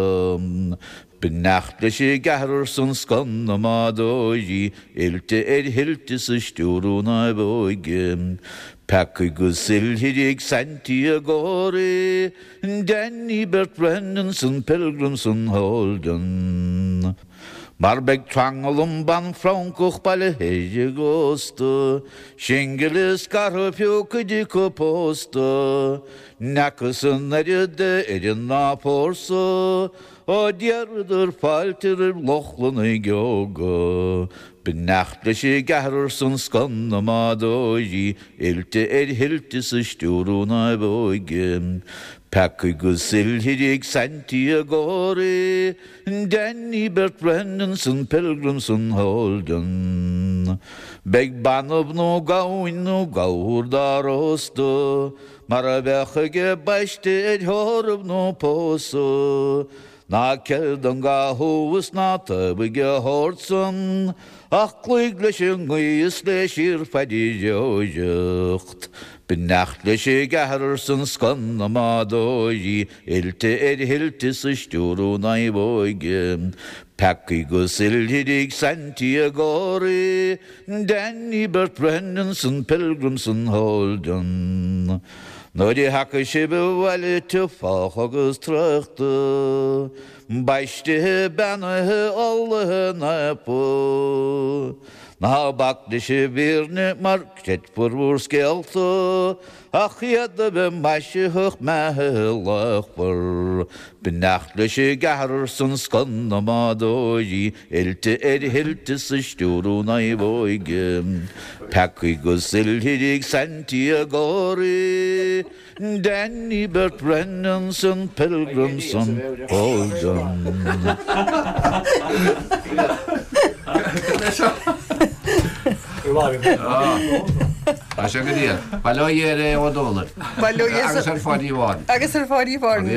S7: Beannacht leis an gceathrar 's an scoth na mbádóirí, oilte ar thuilte 's ag stiúradh naomhóige. Peacaí 'gus oilithrigh Santiagóirí, Danny Bert Brennan 's an Pilgrim 's an Holden. Mar beidh tranglam ban Francach bailithe ar an gcósta, singil is scartha fiú cuid acu pósta, N'fheacthas an oiread de fhoireann ná fórsa ó d'iarradar fáilte roimh Lochlannaigh óga. Beannacht leis an gceathrar 's an scoth na mbádóirí, oilte ar thuilte 's ag stiúradh naomhóige, Peacaí 'gus oilithrigh Santiagóirí, Danny Bert Brennan 's an Pilgrim 's an Holden. Beidh banbh nó gamhain nó gabhar dá róstadh mar a bheadh ag baisteadh ar thórramh nó pósadh. Ná ceil don gcathú is ná taobhaigh a shórt san ach cloígh leis an ngaoth is le síorphaidireoireacht. Beannacht leis an gceathrar 's an scoth na mbádóirí Oilte ar thuilte 's ag stiúradh naomhóige, Peacaí 'gus oilithrigh Santiagóirí, Danny Bert Brennan 's an Pilgrim 's an Holden. Nuair a thiocfaidh sibh abhaile tiubh fách agus traochta, Baistithe, beannaithe, ullmhaithe, naofa, Ná bac leis an bhfírinne mar creidfear bhur scéalta, Ach iad a bheith maisitheach meathaithe luachmhar. Beannacht leis an gceathrar 's an scoth na mbádóirí, oilte ar thuilte 's ag stiúradh naomhóige, Peacaí 'gus oilithrigh Santiagóirí, Danny Bert Brennan 's an Pilgrim 's an Holden.
S5: Tá sé go diail. Bail ó Dhia ar Aodh Ó Dónaill.
S1: Bail ó Dhia
S5: Agus ar Pháidí Bhán.
S1: Agus ar Pháidí Bhán.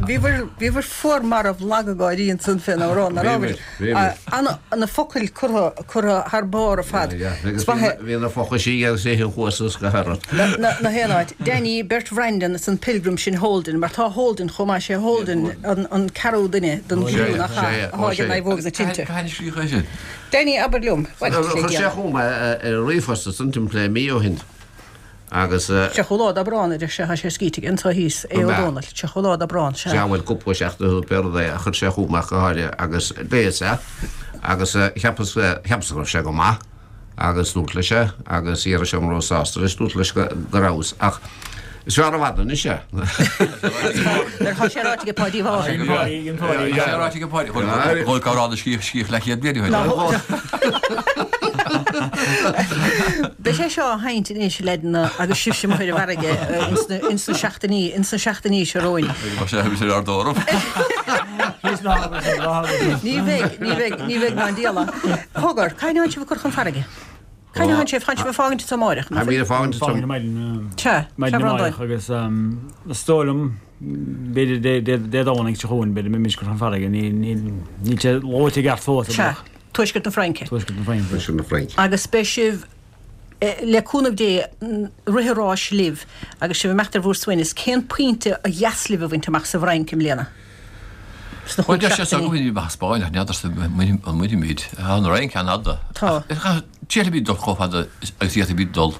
S1: Bhíobhair, bhíobhair fuar marbh lag ag gáirí ansan fén amhrán, nach rabhair?
S5: Bhíobhair, bhíobhair.
S1: Ana, na focail curtha, curtha thar barr ar fad.
S5: Yeah, yeah. Agus bhí na, bhí na fochaisí agus é an chuas is go hairid.
S1: Na, na haon áit. Danny, Bert Bhreandan is an Pilgrim sin Holden, mar tá Holden chomh maith, sé Holden an, an ceathrú duine den chriú nach ea, atá ag an naomhóg na tinte.
S4: Cathain a scríobhadh é sin?
S1: Danny, abair liom.
S5: Bhuel,
S1: le
S5: Chuir sé
S1: déanaí.
S5: chugam é ar ríomhphost ansan timpeall le mí ó shin agus.
S1: 30ú lá d'Aibreán, a deir sé, tá sé scríte aige anso thíos, Aodh Ó Dónaill, 30ú lá d'Aibreán, sea.
S5: Sea, bhuel, cúpla seachtain ó shin pé rud é a chuir sé chugam ach go háirithe agus léas é agus cheapas, cheapas go raibh sé go maith. agus dúrt leis é agus d'fhiafraigh sé an rabhas sásta leis, dúrt leis go rabhas ach is fearr i bhfad anois é.
S1: Nuair atá sé ráite ag Páidí Mháire.
S4: Tá sé ráite ag Páidí, dhul go rá na scíth scíth leathchéad bliain ó shin.
S1: Beidh sé seo á sheinnt anois leaideanna agus sibhse amuigh ar an bhfarraige ins na seachtainí ins na seachtainí seo romhainn.
S4: Tá sé ar ár dtórramh.
S1: Ní bheidh, ní bheidh, ní bheidh ná an diabhal. Cogar, cathain a tánn sibh ag cur chun farraige? Cathain a tánn sibh, tánn sibh ag fágaint anso amáireach,
S5: nach
S1: bhfuil?
S5: Táimid ag fágaint anso.
S6: Fágaint ar maidin,
S1: Sea,
S6: maidin
S1: sea, a Bhreandáin.
S6: amáireach agus is dóigh liom, b'fhéidir Dé, Dé, Dé Domhnaigh seo chugainn, b'fhéidir mbeimid ag cur chun farraige, ní, ní, níl sé luaite i gceart fós,
S1: Sea, Tuaisceart na Fraince.
S6: Tuaisceart na Fraince.
S5: Tuaisceart na Fraince.
S1: Agus beidh sibh. Le cúnamh Dé, rith an ráis libh agus sibh ag imeacht ar bhur suaimhneas, cén pointe ba dheas libh a bhaint amach sa bhFrainc i mbliana? Sna
S4: chúig seachtainí. Bhuel, deir sé amach Spáinn ach n'fheadarsa an mbainfimid. Tá an Fhrainc an-fhada.
S1: Tá.
S4: D'fhéadfaimid dul chomh fada agus a d'fhéadfaimid dul.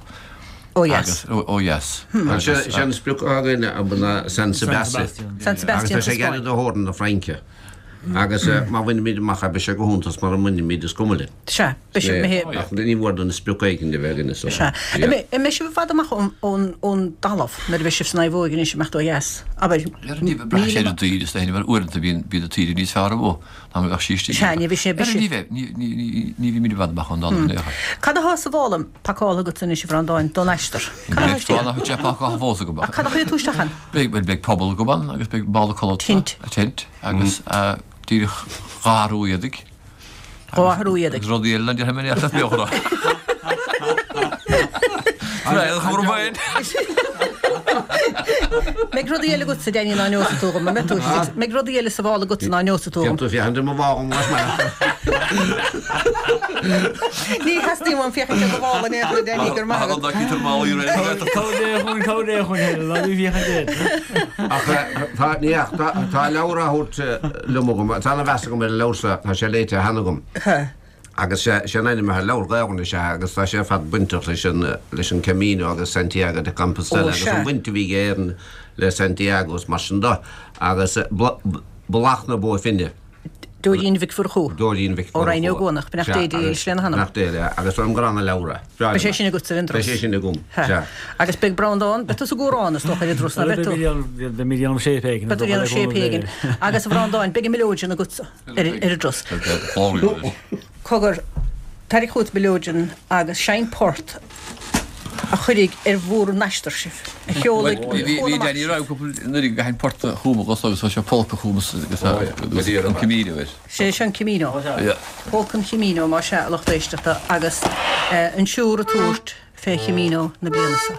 S1: Ó dheas.
S4: Ó dheas.
S5: Sé an sprioc atá againn ná San Sebastian.
S1: San Sebastian
S5: sa Spáinn. Agus tá sé gairid do theorainn na Fraince. Agus má bhainimid amach é, beidh sé go hiontach, mura mbainimid is cuma linn.
S1: Sea, beidh sibh imithe.
S5: Ach ní mór dúinn sprioc éigin a bheith againn is dócha.
S1: Sea. An mbeidh sibh i bhfad amach ón dtalamh nuair a bheidh sibh san naomhóig anois ag imeacht ó dheas? Abair,
S4: Ní bheidh, braitheann sé ar an dtaoide is dóigh, mar uaireanta bíonn an taoide níos fearr amuigh ná mar a bheadh sí istigh.
S1: Sea, ní bheidh sé, beidh
S4: Ní bheidh, ní bhímid i bhfad amach ón dtalamh in aon chor.
S1: Cad atá sa mhála pacáilte agat anois, a Bhreandáin, don aistear? Cad atá istigh
S4: ann? Níl sé pacáilte fós agam.
S1: Ach cad a chuirfidh tú isteach ann?
S4: Beidh, bhuel, beidh puball agam ann agus beidh mála codlata.
S1: Tint.
S4: Tint agus díreach dhá athrú éadaigh.
S1: Dhá athrú éadaigh.
S4: Agus rudaí eile ná déarfaidh mé in aon chor beochra.
S1: Mbeidh rudaí eile agatsa, Danny, ná neosfaidh tú dhom, an mbeidh tú? Mbeidh rudaí eile sa mhála agatsa ná neosfaidh tú dhom?
S5: Déan tú féachaint ar mo mhála más maith leat.
S1: Ní theastaíonn uaim féachaint ar do mhála in aon chor, a Danny, go raibh maith agat.
S5: Ach tá, ní ach, tá leabhar á thabhairt liom agam, tá ana-mheas agam ar an leabhar seo, tá sé léite cheana agam. Agus sé an ainm atá ar an leabhar, Gaelainn is ea, agus tá sé ar fad bainteach leis an, leis an Camino agus Santiago de Compostela agus an bhaint a bhí ag Éirinn le Santiago is mar sin de. Agus Bealach na Bó Finne.
S1: Dóirín Mhic Mhurchú.
S5: Dóirín Mhic
S1: Ó Raghnaill Ó gCuanach, beannacht Dé dílis lena hanam.
S5: Beannacht Dé léi, agus tuairim gur ana-leabhar é.
S1: Breá Beidh sé sin agatsa ar an dturas.
S5: Beidh sé sin agam, sea.
S1: Agus beidh Breandán, beidh tusa ag amhrán is dócha ar an dturas, ná beidh tú?
S6: Beidh mé ag déanamh shape éigin.
S1: Beidh tú ag déanamh shape éigin. Agus a Bhreandáin, beidh an mileoidean agatsa ar an dturas. Cogar, tarraing chugat mileoidean agus seinn port a chuirfidh ar bhur n-aistear sibh, a sheolfaidh
S4: Bhí
S1: chuan amach
S4: Danny
S1: sibh.
S4: ag rá cúpla nuair a gcaithfinn port a chumadh agus agus tá sé polca a chumas agus an Camino air.
S1: Sé seo an Camino. Polca an Chamino, más ea, a lucht éisteachta, agus an siúr ag tabhairt fé Chamino na bliana seo.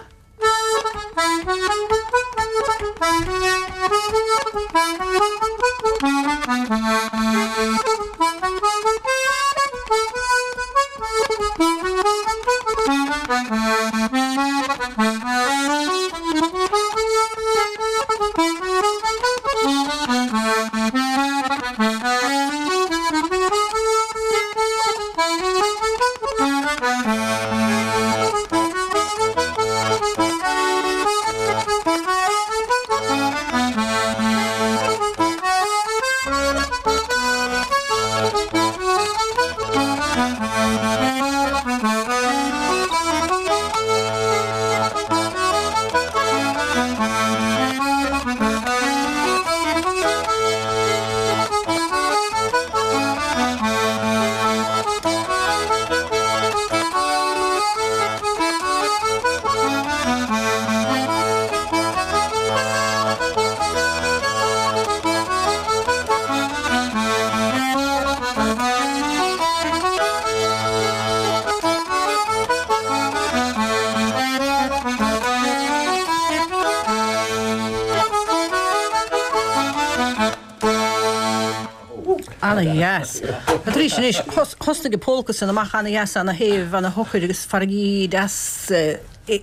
S1: Ana-dheas. Tar éis anois, thosnaigh an pólca san amach ana-dheas, ana-shéimh, ana-shocair agus farraigí deas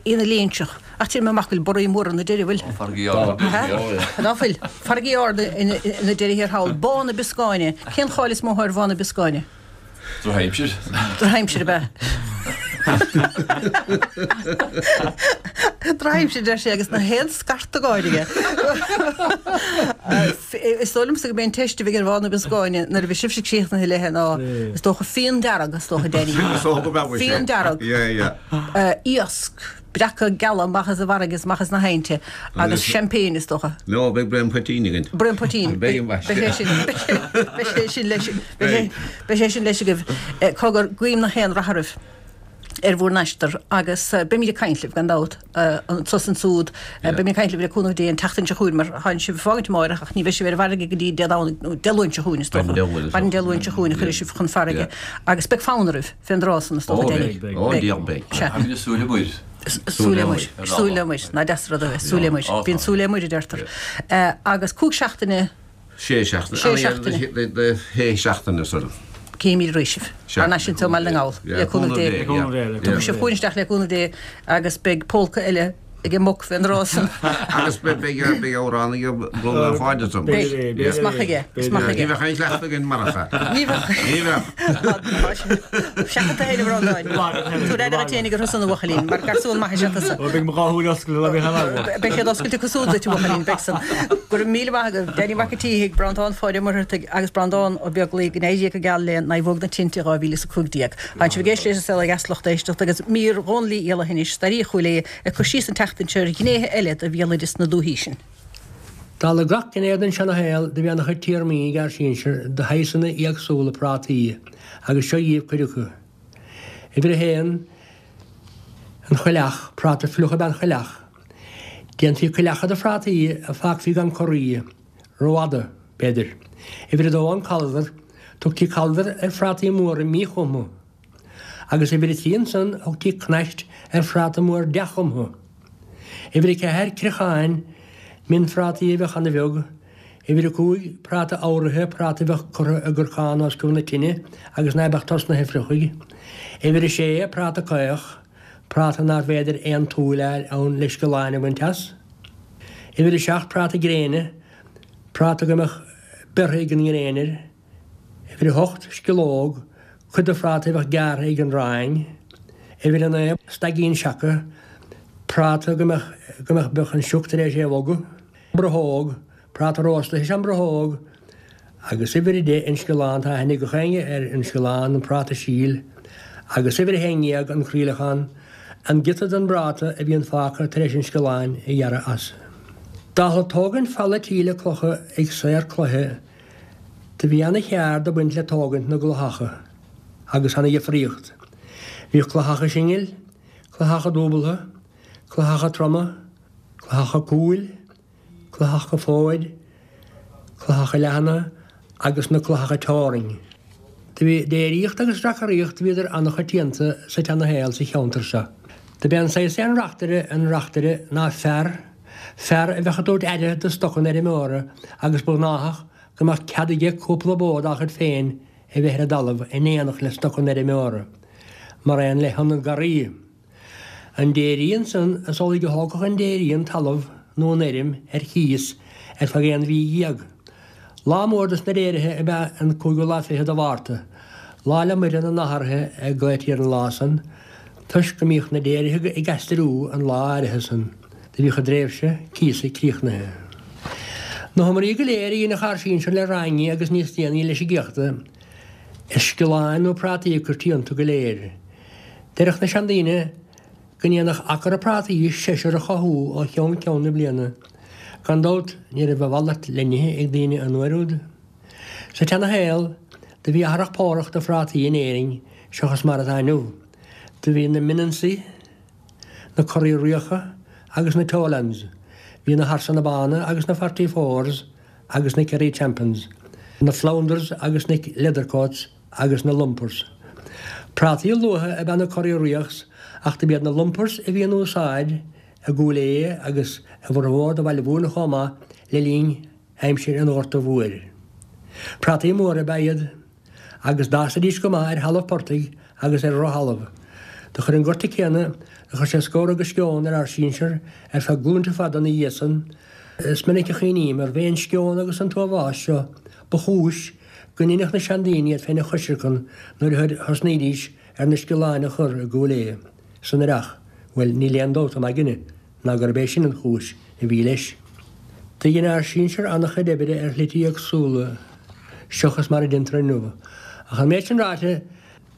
S1: ina léinseach. Ach tchím amach go bhfuil borraí móra ina deireadh, bhfuil?
S4: Farraigí arda.
S1: Ná fuil? Farraigí arda ina deireadh thiar thall. Bá na Bioscáine. Cén cháil is mó atá ar Bhá na Bioscáine?
S4: Drochaimsir.
S1: Drochaimsir ab ea? Drochaimsir, deir sé, agus nach aon scartadh gáire aige. Is dóigh liomsa go mb'é an teist a bheidh ar Bhá na Bioscáine nuair a bheidh sibhse críochnaithe léithe ná, is dócha, fíon dearg, is dócha, Danny. Fíon dearg. Iasc. Breaca geala amach as an bhfarraige is amach as na haibhnte agus champagne is dócha.
S5: No, beidh braon poitín againn.
S1: Braon poitín.
S5: Beidh ambaiste.
S1: Beidh sé sin, beidh sé sin leis, beidh sé sin leis agaibh. Cogar, guím nach aon rath oraibh ar bhur n-aistear agus beimid ag caint libh gan dabht anso is ansúd. Beimid ag caint libh le cúnamh Dé an tseachtain seo chugainn mar tánn sibh ag fágaint amáireach ach ní bheidh sibh ar an bhfarraige go dtí Dé Domhnaigh nó Dé Luain seo chugainn is dócha. Maidin Dé Luain seo chugainn a chuirfidh sibh chun farraige agus beidh fonn oraibh. Fén dtráth san is dócha, Danny.
S5: Ó, beidh. Ó, beidh.
S1: Sea.
S4: Táimid ag súil le muir.
S1: Súil le muir. Súil le muir. Nach deas rud a bheith. Súil le muir. Bíonn súil le muir, a deirtear. Agus cúig seachtaine.
S5: Sé seachtaine.
S1: Sé seachtaine.
S5: Sé seachtaine, sorry.
S1: Cífimid arís sibh. Thar n-ais anseo i mBaile na nGall. Le cúnamh Dé. Tiocfaidh sibh chugainn isteach le cúnamh Dé agus beidh pólca eile ag an mboc fén dtráth san.
S5: Agus beidh amhrán ag Breandán Pháid ansan.
S1: Beidh. Is maith aige. Is maith aige.
S5: Ní bheadh aon chleachtadh againn marach é.
S1: Ní bheadh.
S5: Ní bheadh.
S1: Seachain tú féin a Bhreandáin. Tabhair aire duit fhéinig orthu san a bhuachaillín, mar garsún maith is ea tusa.
S6: Beidh mo dhá shúil oscailte le bheith in ann.
S1: Beidh siad oscailte acu súd duit a bhuachaillín, beidh san. Go raibh míle maith agaibh. Danny Mac an tSíthigh, Breandán Pháid Ó Muircheartaigh agus Breandán Ó Beaglaoi go n-éirí go geal le Naomhóg na Tinte 2015. Tá sibh ag éisteacht leis an Saol Ó Dheas lucht éisteachta agus mír Dhónaill Uí Fhiallaithe anois, Staraí Chúil Aodha, ag cur síos an tseachtain seo ar ghnéithe eile de bhéaloideas na dúthaí sin.
S8: Dála gach gné den seana-shaol do bhí ana-chuid téarmaí ag ár sinsir do shaghsanna éagsúla prátaí agus seo dhíbh cuid acu. Uimhir a haon, an choileach, práta fliuch ab ea an choileach. Déantaí coileacha de phrátaí a fágfaí gan corraí. Rófhada, b'fhéidir. Uimhir a dó, an caldar. Tugtaí caldar ar phrátaí móra míchumtha. Agus uimhir a trí ansan, thugtaí cnaist ar phráta mór dea-chumtha. Uimhir a ceathair, criocháin, mionphrátaí a bheadh ana-bheag. Uimhir a cúig, práta amhraithe, práta a bheadh curtha i gcorcán os cionn na tine agus ná beadh tosnaithe a fliuchadh. Uimhir a sé, práta caoch, práta nárbh fhéidir aon tsúil a fháil ann le sciolláin a bhaint as. Uimhir a 7, práta gréine, práta go mbeadh beirthe ag an ngréin air. Uimhir a 8, sciológ, cuid de phráta a bheadh gearrtha ag an rang. Uimhir a 9, staigín seaca, práta go mbeadh go mbeadh beadh an sioc tar éis é a bhogadh. Bruthóg, Práta rósta is ea an bruthóg agus uimhir 10 an sciollán, tá aithne ag gach éinne ar an sciollán, an práta síl, agus uimhir 11 an croíleachán, an giota den bpráta a bhíonn fágtha tar éis an sciolláin a ghearradh as. Dála tógaint falla tí le clocha ag saor cloiche, do bhí ana-cheard ag baint le tógaint na gcloicheacha agus ana-dhifríocht. Bhíodh cloicheacha singil, cloicheacha dúbaltha, cloicheacha troma, cloicheacha cúil, cloicheacha fóid, cloicheacha leathana agus na cloicheacha teorainn. Do bhí déiríocht agus reacaireacht bhíodar ana-choitianta sa tseana-shaol sa cheantar seo. Do b'é an saghas é an reachtaire an reachtaire ná fear, fear a bheadh ag tabhairt aire do stoc an fheirmeora agus ba ghnáthach go mbeadh cead aige cúpla bó dá chuid féin a bheith ar an dtalamh in éineacht le stoc an fheirmeora, mar aon le hionad garraí. An déirí ansan is amhlaidh a thógfadh an déirí an talamh nó an fheirm ar chíos ar feadh aon mhí dhéag. Lá mór dos na déirithe ab ea an cúigiú lá fichead de Mhárta, Lá 'le Muire na nAthraithe a glaoití ar an lá san, toisc go mbíodh na déirithe ag aistriú an lá áirithe san. Do bhíodh a dtréimhse cíosa críochnaithe. Na hiomairí go léir a dheineadh ár sinsir le raingí agus níos déanaí leis an gcéachta, is sciolláin nó prátaí a cuirtí iontu go léir. Deireadh na seandaoine go ndéanfadh acra prátaí seisear a chothú ó cheann ceann na bliana. Gan dabht ní raibh a mhalairt le n-ithe ag daoine an uair úd. Sa tseana-shaol do bhí athrach pórach de phrátaí in Éirinn seachas mar atá inniu. Do bhí na Minnansaí, na Corraí Riacha agus na Tolands. Bhí na Harsanna Bána agus na Forty Fours agus na Kerry Champions, na Flounders agus na Leathercoats agus na Lumpers. Prátaí luatha ab ea na Corraí Riachs ach do b'iad na Lumpers a bhí in úsáid i gCúil Aodha agus i bhformhór de Bhaile Mhúirne chomh maith le linn aimsir an Ghorta Mhóir. Prátaí móra ab ea iad agus d'fhásaidís go maith ar thalamh portaigh agus ar dhrochthalamh. Do chuir an gorta céanna, do chuir sé scór agus sceon ar ár sinsear ar feadh glúinte fada ina dhiaidh san. Is minic a chuimhním arbh é an sceon agus an t-uathbhás seo ba chúis go ndeineadh na seandaoine iad féin a choisreacan nuair a thosnaídís ar na sciolláin a chur i gCúil Aodha san earrach, bhuel, níl aon dabht i m'aigne ná gurb é sin an chúis a bhí leis. Do dhein ár sinsear an-chuid oibre ar shlite éagsúla seachas mar a deintear inniu, ach an méid sin ráite,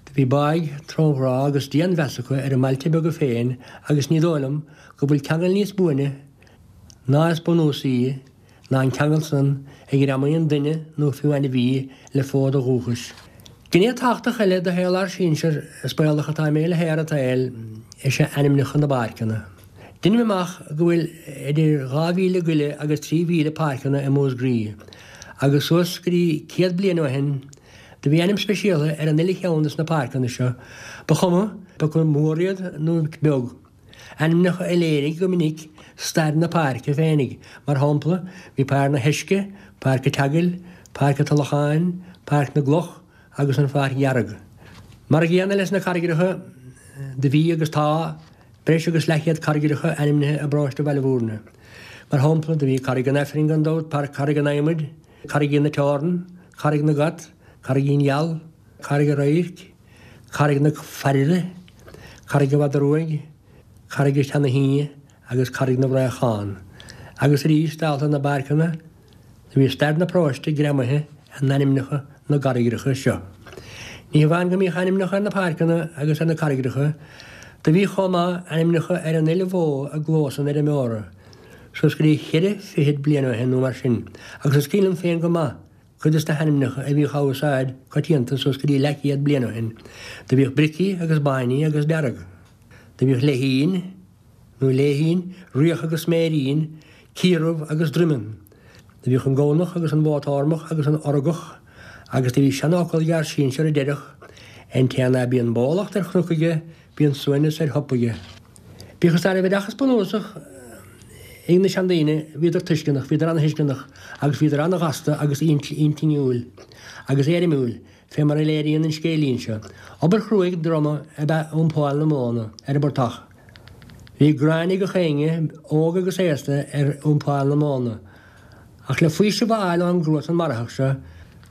S8: do bhí báidh, trónghrá agus dianmheas acu ar a mbailte beaga féin agus ní dóigh liom go bhfuil ceangal níos buaine ná is bunúsaí ná an ceangal san a ghreamaíonn duine nó fiú ainmhí le fód a dhúchais. Gné tábhachtach eile de shaol ár sinsear, is baolach atá mé le haer an tsaoil, is ea ainmneacha na bpáirceanna. Deinim amach go bhfuil idir 2,000 goile agus 3,000 páirceanna i Músgraí, agus suas go dtí 100 bliain ó shin, do bhí ainm speisialtha ar an uile cheann de sna páirceanna seo, ba chuma acu mór iad nó beag. Ainmneacha a léirigh go minic stair na páirce féinig, mar shampla, bhí Páirc na hEisce, Páirc an tSeagail, Páirc an Tulacháin, Páirc na gCloch. agus an Pháirc Dhearg. Mar a gcéanna leis na carraigreacha, do bhí agus tá breis agus leathchéad carraigreacha ainmnithe i bparóiste Bhaile Bhúirne. Mar shampla, do bhí Carraig an Aifrinn gan dabht, Carraig an Adhmaid, Carraigín na Teorann, Carraig na gCat, Carraigín Gheal, Carraig an Radhairc, Carraig na Fairre, Carraig an Mhadra Ruaidh, Carraig an tSeana-Thí agus Carraig na bhFraochán. Agus arís, dálta na bpáirceanna, do bhí stair na paróiste greamaithe in ainmneacha na gcarraigreacha seo. Ní hamháin go mbíodh ainmneacha ar na páirceanna agus ar na carraigreacha, do bhíodh chomh maith ainmneacha ar an uile bhó i gclós an fheirmeora, suas go dtí cheithre fichid bliain ó shin nó mar sin, agus is cuimhin liom féin go maith cuid de na hainmneacha a bhíodh á úsáid coitianta suas go dtí leathchéad bliain ó shin. Do bhíodh Bricí agus Báiní agus Dearg. Do bhíodh Leithín, nó Léithín, Riach agus Sméirín, Ciardhubh agus Droimeann. Do bhíodh an Gamhnach agus an Bhó Tórmach agus an Orgach agus do bhí seanfhocal ag ár sinsear a deireadh, An té ná bíonn bólacht ar chnoc aige bíonn suaimhneas ar shop aige. Bíodh is ná raibh oideachas bunúsach ag na seandaoine, bhíodar tuisceanach, bhíodar ana-thuisceanach agus bhíodar ana-ghasta agus intinniúil agus éirimiúil, fé mar a léiríonn an scéilín seo. Obair chruaidh droma ab ea iompáil na móna ar an bportach. Bhí gráin ag gach éinne, óg agus aosta, ar iompáil na móna. Ach le faoiseamh a fháil ón gcruatan maraitheach seo,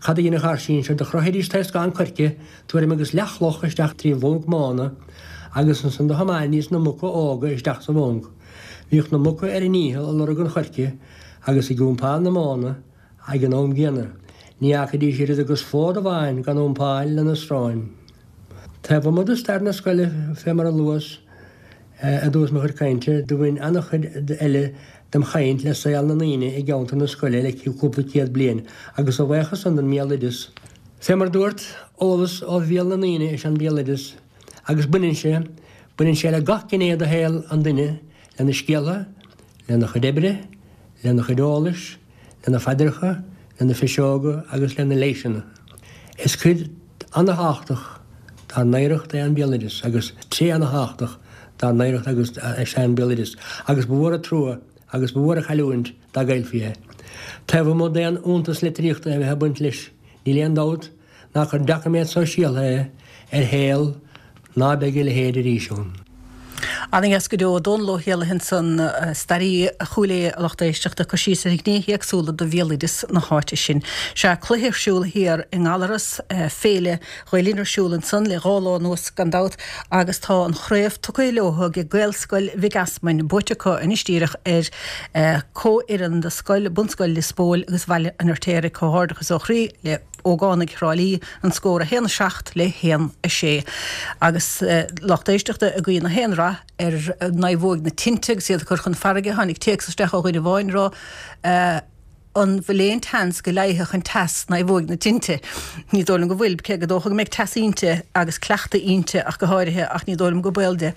S8: cad a dheineadh ár sinsir? Do chroithidís taoscán coirce, tuairim agus leathchloch isteach trí bhunc móna, agus ansan do thiomáinidís na muca óga isteach sa bhunc. Bhíodh na muca ar a ndícheall ag lorg an choirce agus ag iompáil na móna ag an am gcéanna. Ní fhágfaidís oiread agus fód amháin gan iompáil lena sróin. Taobh amuigh de stair na scoile, fé mar a luas i dtús mo chuid cainte, do bhain an-chuid eile dem chaint le saol na ndaoine i gceantar na scoile le cúpla céad bliain, agus a bhuíochas san don mbéaloideas. Fé mar dúrt, eolas ó bhéal na ndaoine is ea an béaloideas, agus baineann sé, baineann sé le gach gné de shaol an duine, lena scéaltha, lena chuid oibre, lena chuid eolais, lena phaidreacha, lena phiseoga agus lena leighiseanna. Is cuid ana-thábhachtach dár n-oidhreacht é an béaloideas agus tréith ana-thábhachtach dár n-oidhreacht agus is ea an béaloideas agus ba mhór an trua agus ba mhór an chailliúint dá gcaillfí é. Taobh amuigh d'aon fhiúntas litríochta a bheith ag baint leis, níl aon dabht ná gur doiciméad sóisialta é ar shaol ná beidh a leithéid arís ann.
S1: Ana-dheas go deo. Dónal Ó hÉallaithe ansan, staraí Chúil Aodha a lucht éisteachta, ag cur síos ar ghnéithe éagsúla de bhéaloideas na háite sin. Sea, cluiche ar siúl thiar i nGallaras, Féile Ghael Linn ar siúl ansan le dhá lá anuas gan dabht agus tá an chraobh tugtha leo ag Gaelscoil Mhic Easmainn, buaite acu anois díreach ar comhfhoireann de scoil, Bunscoil Lios Póil agus Bhaile an Fheirtéaraigh. Comhghairdeachas ó chroí le ógánaigh Thrá Lí, an scór 1, 7 le 1, 6. Agus lucht éisteachta ag guí na haon rath ar naomhóig na tinte agus iad ag cur chun farraige, tháinig téacs isteach ó dhuine amháin ag rá, An bhfuil aon tseans go leigheasfadh an teas naomhóig na tinte? Ní dóigh liom go bhfuil, cé gur dócha go mbeidh teas inti agus cleachtadh inti ach go háirithe, ach ní dóigh liom go baol di.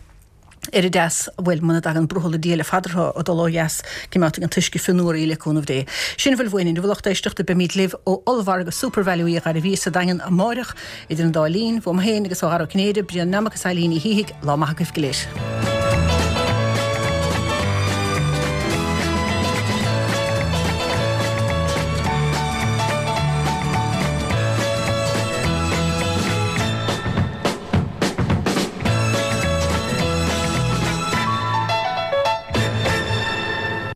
S1: ar an dteas, bhuel, muna dtagann brothall Dia le fada ag dul ó dheas, coimeádfaidh an t-uisce fionnuar í le cúnamh Dé. Sin a bhfuil uainn inniu, a lucht éisteachta, beimid libh ó ollmhargadh Supervalu Uí Ghairbhí sa Daingean amáireach, idir an dá linn, uaim féin agus ó Dhara Ó Cinnéide, Brian Nammock is Eilín Ní Shíthigh, lá maith agaibh go léir.